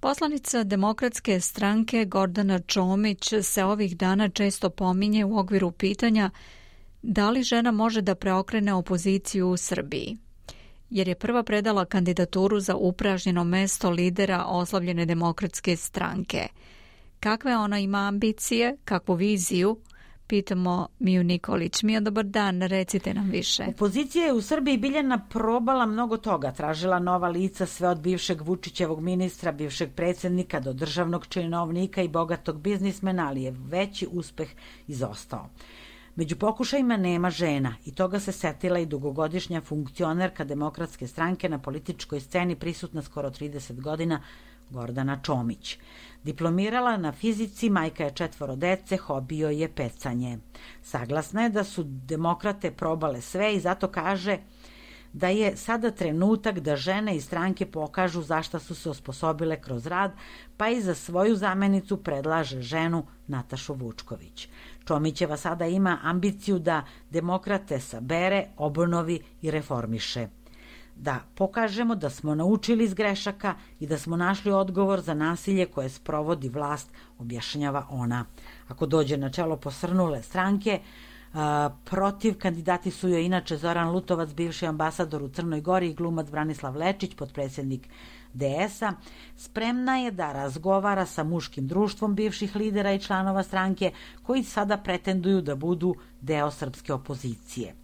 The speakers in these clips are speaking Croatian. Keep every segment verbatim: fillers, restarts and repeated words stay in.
Poslanica Demokratske stranke Gordana Čomić se ovih dana često pominje u okviru pitanja da li žena može da preokrene opoziciju u Srbiji, jer je prva predala kandidaturu za upražnjeno mesto lidera oslavljene Demokratske stranke. Kakve ona ima ambicije, kakvu viziju? Pitamo Miju Nikolić. Mija, dobar dan, recite nam više. Opozicija je u Srbiji, Biljana, probala mnogo toga. Tražila nova lica, sve od bivšeg Vučićevog ministra, bivšeg predsjednika do državnog činovnika i bogatog biznismena, ali je veći uspeh izostao. Među pokušajima nema žena i toga se setila i dugogodišnja funkcionerka Demokratske stranke na političkoj sceni prisutna skoro trideset godina, Gordana Čomić. Diplomirala na fizici, majka je četvoro dece, hobi joj je pecanje. Saglasna je da su demokrate probale sve i zato kaže da je sada trenutak da žene iz stranke pokažu zašta su se osposobile kroz rad, pa i za svoju zamenicu predlaže ženu Natašu Vučković. Čomićeva sada ima ambiciju da demokrate sabere, obnovi i reformiše. Da pokažemo da smo naučili iz grešaka i da smo našli odgovor za nasilje koje sprovodi vlast, objašnjava ona. Ako dođe na čelo posrnule stranke, a, protiv kandidati su joj inače Zoran Lutovac, bivši ambasador u Crnoj Gori, i glumac Branislav Lečić, potpredsjednik D S-a. Spremna je da razgovara sa muškim društvom bivših lidera i članova stranke koji sada pretenduju da budu deo srpske opozicije.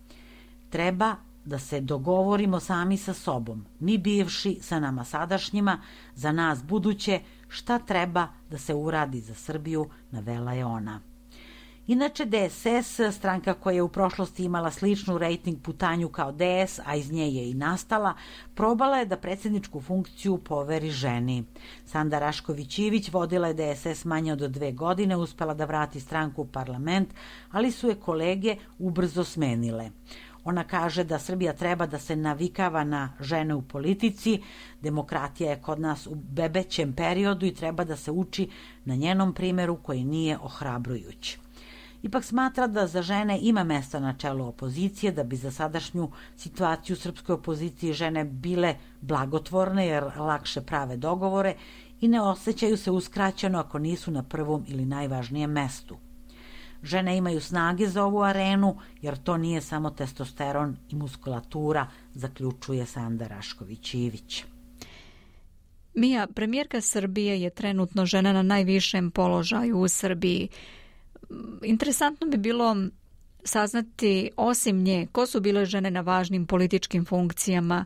Treba da se dogovorimo sami sa sobom, mi bivši sa nama sadašnjima, za nas buduće, šta treba da se uradi za Srbiju, navela je ona. Inače, D S S, stranka koja je u prošlosti imala sličnu rejting putanju kao D S, a iz nje je i nastala, probala je da predsjedničku funkciju poveri ženi. Sanda Rašković-Ivić vodila je D S S manje od dve godine, uspela da vrati stranku u parlament, ali su je kolege ubrzo smenile. Ona kaže da Srbija treba da se navikava na žene u politici, demokratija je kod nas u bebećem periodu i treba da se uči na njenom primjeru koji nije ohrabrujući. Ipak smatra da za žene ima mesta na čelu opozicije, da bi za sadašnju situaciju srpskoj opoziciji žene bile blagotvorne jer lakše prave dogovore i ne osjećaju se uskraćeno ako nisu na prvom ili najvažnijem mestu. Žene imaju snage za ovu arenu, jer to nije samo testosteron i muskulatura, zaključuje Sanda Rašković-Ivić. Mija, premijerka Srbije je trenutno žena na najvišem položaju u Srbiji. Interesantno bi bilo saznati, osim nje, ko su bile žene na važnim političkim funkcijama,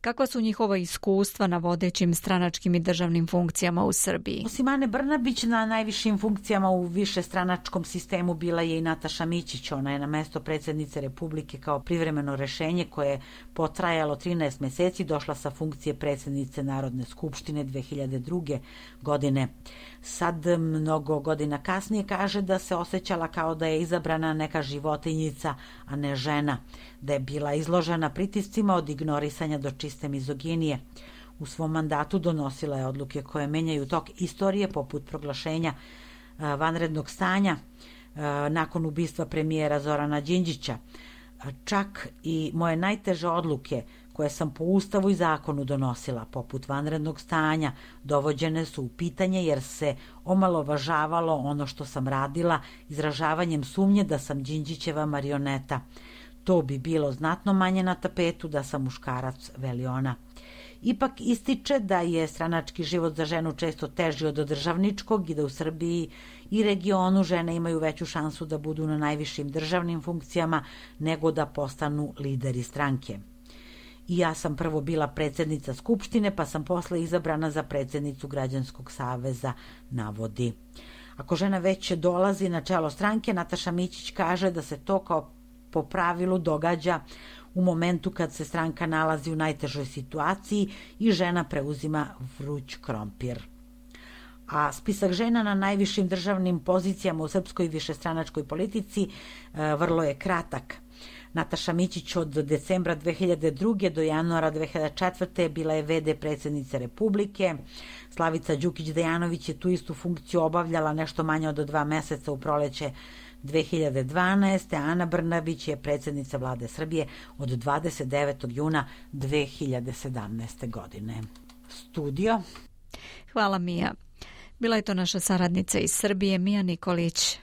kakva su njihova iskustva na vodećim stranačkim i državnim funkcijama u Srbiji? Osim Ane Brnabić, na najvišim funkcijama u višestranačkom sistemu bila je i Nataša Mićić. Ona je na mesto predsjednice Republike kao privremeno rešenje koje je potrajalo trinaest meseci došla sa funkcije predsjednice Narodne skupštine dve hiljade druge. godine. Sad, mnogo godina kasnije, kaže da se osjećala kao da je izabrana neka životinjica, a ne žena, da je bila izložena pritiscima od ignorisanja do čiste mizoginije. U svom mandatu donosila je odluke koje menjaju tok istorije, poput proglašenja vanrednog stanja nakon ubistva premijera Zorana Đinđića. Čak i moje najteže odluke koje sam po Ustavu i zakonu donosila, poput vanrednog stanja, dovođene su u pitanje jer se omalovažavalo ono što sam radila izražavanjem sumnje da sam Đinđićeva marioneta. To bi bilo znatno manje na tapetu da sam muškarac, veli ona. Ipak ističe da je stranački život za ženu često teži od državničkog i da u Srbiji i regionu žene imaju veću šansu da budu na najvišim državnim funkcijama nego da postanu lideri stranke. I ja sam prvo bila predsjednica Skupštine, pa sam posle izabrana za predsjednicu Građanskog saveza, navodi. Ako žena već dolazi na čelo stranke, Nataša Mićić kaže da se to kao po pravilu događa u momentu kad se stranka nalazi u najtežoj situaciji i žena preuzima vruć krompir. A spisak žena na najvišim državnim pozicijama u srpskoj višestranačkoj politici e, vrlo je kratak. Nataša Mićić od decembra dve hiljade druge. do januara dve hiljade četvrte. bila je ve de predsjednice Republike. Slavica Đukić-Dejanović je tu istu funkciju obavljala nešto manje od dva meseca u proleće dve hiljade dvanaeste. Ana Brnabić je predsjednica vlade Srbije od dvadeset devetog juna dve hiljade sedamnaeste. godine. Studio. Hvala Mija. Bila je to naša saradnica iz Srbije, Mija Nikolić.